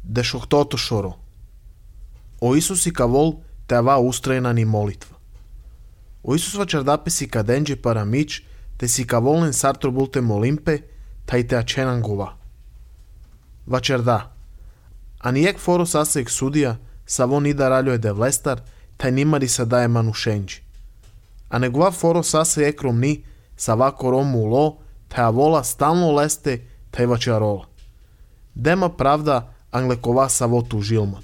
Дешохтото шоро. O Isus i cavol te ava ustrajna ni molitva. O Isus vačardape si cadenje para mici, te si cavolen sartro bulte molimpe, tai te acenan gova. Vačarda. Aniek foro sasek sudija, savo nida raljo de vlestar, taj nimari sa daje manušenji. A negova foro sase ekromni, sa vako romu lo, te avola stalno leste, taj vačarola. Dema pravda, anglekova savo tu žilman.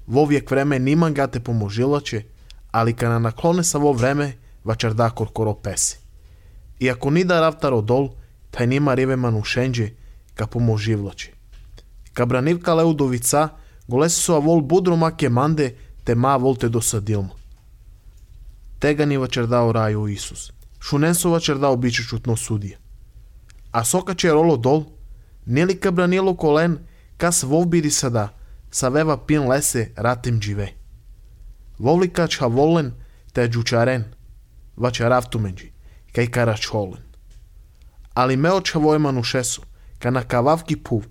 Vo vijek vreme niman ga te pomožilače, ali kana naklone sa vo vreme, vačarda korkoro pesi. Iako nida ravtaro dol, taj nima rive manušenje, ka pomoživlače. Ka branivka leudovica, golesi su avol budro make mande, te ma volte dosadilma. Tega ni vačardao raju Isus. Šunen su vačardao biće čutno sudija. A soka će rolo dol, nili ka branilo kolen, kas vovbiri sada, sa veva pin lese ratem džive. Vovlika čha volen, te džučaren, vačaravtumenđi, kaj karačholen. Ali me očha vojmanu šesu, ka na kavavki puv,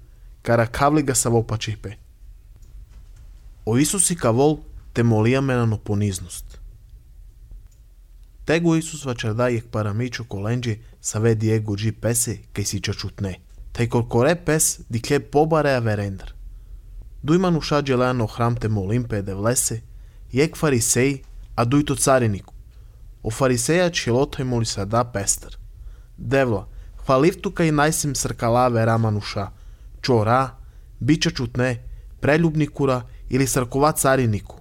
kara kavli ga sa vopačipe. O Isus i kavol te molija me na poniznost. Tego Isus vačarda jek paramičo kolenđe sa ve Diego dži pese kaj si čačutne. Taj korkore pes dikle pobarea verendar. Dujman ušađe leano hram te molimpe de vlese, jek farisej, a duj to cariniku. O fariseja čilotaj moli sada pestar. Devla, hvalivtu kaj najsim srkalave ramanuša, čora, bića čutne, preljubnikura ili srkova cariniku.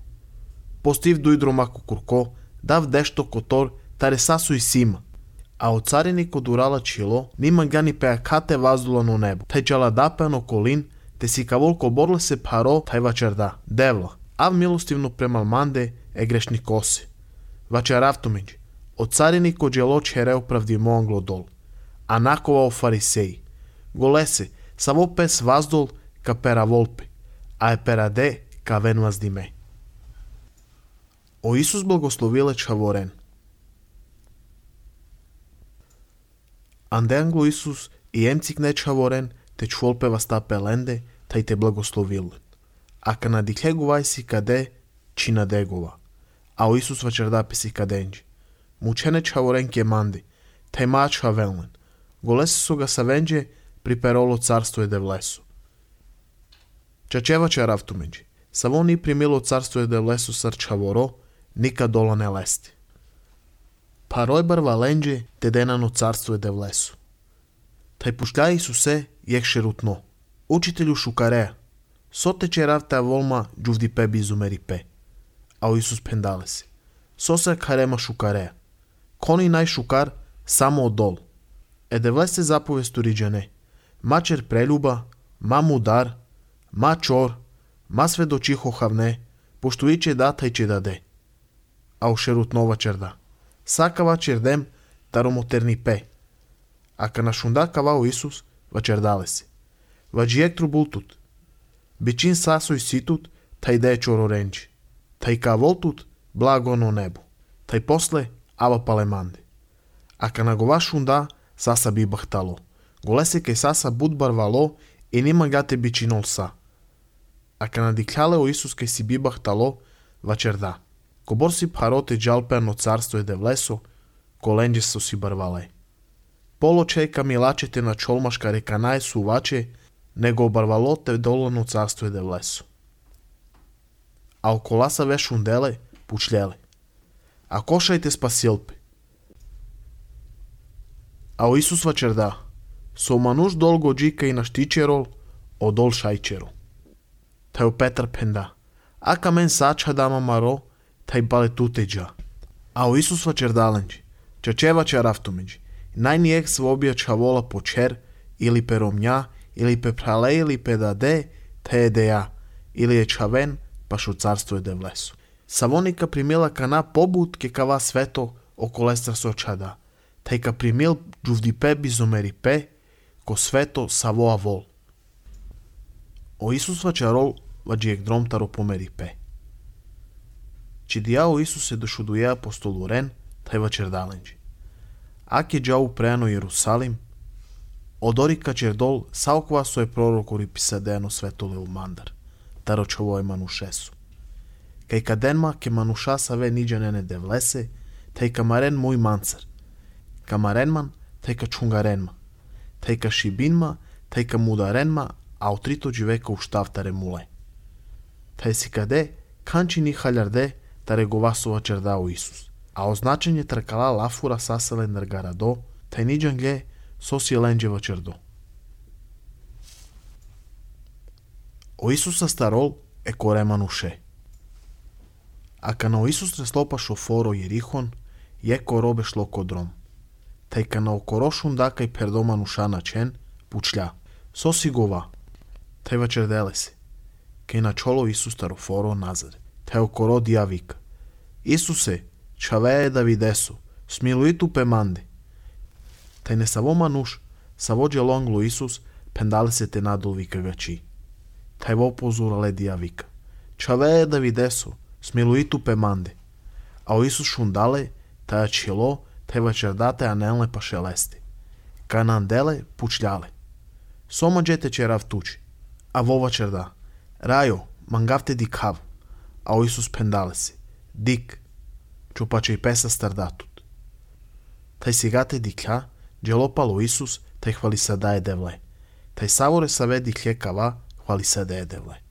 Postiv duj dromaku kurko, dav dešto kotor, tare sasu i sima. A o cariniku durala čilo, niman gani peakate vazdulano nebo, taj čala dapeano kolin, te si kavolko borle se paro, taj vačarda. Devla, av milostivno premal mande, e grešni kose. Vačaravtumeđi, o cariniku dželo čereo pravdimo anglodol. A nakova o fariseji. Golese, savo pes vazdol ka pera volpe, a e perade ka ven vazdime. O Isus blagoslovile čavoren. Ande anglo Isus i emcik ne čavoren, te čvolpe vastape lende, taj te blagoslovilen. A ka na diklegu vajsi kade, čina degova. A o Isus vačardape si kadenđi. Mučene čavoren ke mandi, taj mač havelnen. Golese su ga savenđe, priperolo carstvo je de vlesu. Čačeva čaravtumeđi, savo ni primilo carstvo je de vlesu sar čavoro, nikad dola ne lesti. Paroj bar valenđe, te denano carstvo je de vlesu. Taj pušljaj Isuse, jek šerutno. Učitelju šukareja, sote čeravta volma džuvdi pe bizumeri pe. A o Isus pendale se. Sosa karema šukareja. Koni naj šukar, samo od dol. E de vlese zapovest uriđane. Mačer preljuba, ma mudar, ma čor, ma svedočiho havne, pošto iće data i će dade. A u šerutnova čerda. Saka vačerdem, taromoterni pe. A ka našunda kavao Isus, vačerdale se. Vađijek trubultut. Bičin sasoj situt, taj de čororenđi. Taj ka voltut, blago ono nebo. Taj posle, ava palemande. A ka nagova šunda, sasa bi bahtalo. Golese kaj sasa budbar valo i nima gate bičinol sa. A ka nadikljale o Isus kaj si bi bahtalo, vačerda. Kobor si parote džalpeano carstvo je de vleso, kolenđe su si barvale. Poločej ka milačete na čolmaška reka naj suvače, nego obarvalo te dolano carstvo je de vleso. A okolasa ve šundele, pučljele. A košajte spasilpe. A o Isus vačerda, so manuš dolgo džika i naštičerol, o dol šajčerol. Taj o Petar penda, a kamen sača dama maro, taj bale tuteđa. A o Isus vačerdalenđi, čačeva čaravtumeđi, najnijek svobija čavola po čer, ili pe romnja, ili pe prale, ili pe dade, te je deja, ili je čaven, paš u carstvo je de vlesu. Savonika primila kana pobutke kava sveto, oko lestra sočada, taj ka primil džuvdi pe bizomeri pe, ko sveto savoa vol. O Isus vačarol, vađijek dromtaro pomeri pe. Či dijao Isus se došuduje apostolu ren, taj vačerdalenđi. Ak je džavu preano Jerusalim, Одори качердол салква сој пророкори писадено светолил мандар, тарочово е манушесу. Кај каденма ке мануша саве ниджанене девлесе, тај камарен мој манцар. Камаренман, тај ка чунгаренма. Тај ка шибинма, тај ка мударенма, а утрито живека уштавтаре муле. Тај си каде, канчи ни халярде, таре говасува чердао Исус. А означење тркала лафура саселен нергарадо, тај ниджанге соси ленджева чердо. О Исуса старол е корема нуше. А кана Исус реслопа шофоро Јерихон, јеко робе шло кодром. Тај кана окорошун дака и пердома нуша начен, пучля. Соси гова. Тај вачерделе се. Кај начоло Исус старофоро назад. Тај окоро дија вика. Исусе, чавее да видесу, смилуиту пеманде. Тај не саво мануш, саво джелонгло Исус, пендале се те надол вика гачи. Тај во позурале дија вика. Чавее да видесу, смилуиту пеманде. А о Исус шундале, таја чило, тај вачердате анелне па шелесте. Кананделе пучляле. Сома джете черав тучи. А во вачерда. Рајо, мангавте дикав. А о Исус пендале се. Дик. Чупаче и песа стардатут. Тај сигате дикја, джелопало Исус, тај хвали садае девле. Тај саворе саве дикле кава, хвали садае девле.